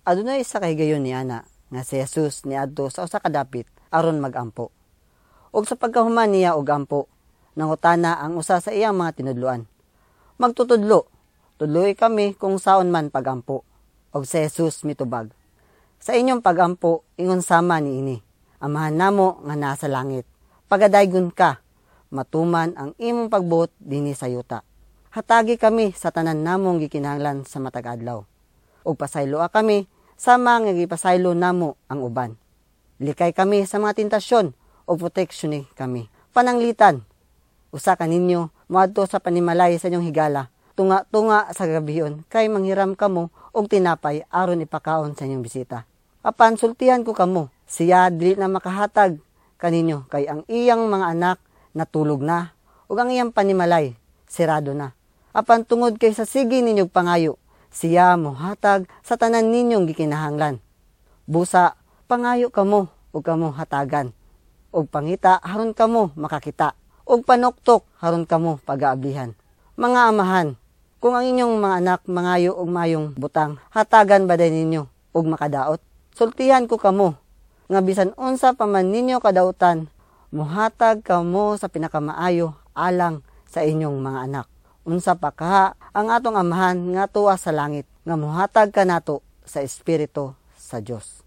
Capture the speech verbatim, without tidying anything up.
Adunay isa ka higayon niana nga si Jesus niadto sa usa ka dapit aron magampo. Ug sa pagkahuman niya og ampo, nangutana ang usa sa iyang mga tinudloan. Magtutudlo, tudloi kami kung saon man pagampo. Og si Jesus mitubag. Sa inyong pagampo, ingon sama niini. Amahan namo nga nasa langit. Pagadaygon ka, matuman ang imong pagbuot dinhi sa yuta. Hatagi kami sa tanan namong gikinahanglan sa matag adlaw. Ug pasayloa kami sama nga gipasaylo namo ang uban. Likay kami sa mga tentasyon ug proteksyon kami. Pananglitan, usa ka ninyo moadto sa panimalay sa inyong higala, tunga-tunga sa gabion kay manghiram kamo og tinapay aron ipakaon sa inyong bisita. Apan sultihan ko kamo, siya dili na makahatag kaninyo kay ang iyang mga anak natulog na ug ang iyang panimalay sirado na. Apan tungod kay sa sige ninyong pangayo, siya mohatag sa tanan ninyong gikinahanglan. Busa, pangayo kamo ug kamo hatagan. Ug pangita haron kamo makakita. Ug panuktok haron kamo pagaablihan. Mga amahan, kung ang inyong mga anak mangayo og mayong butang, hatagan ba day ninyo og makadaot? Sultihan ko kamo nga bisan unsa pa man ninyo kadautan, muhatag kamo sa pinakamaayo alang sa inyong mga anak. Unsa pa kaha ang atong amahan nga tuwa sa langit nga muhatag kanato sa espiritu sa Dios.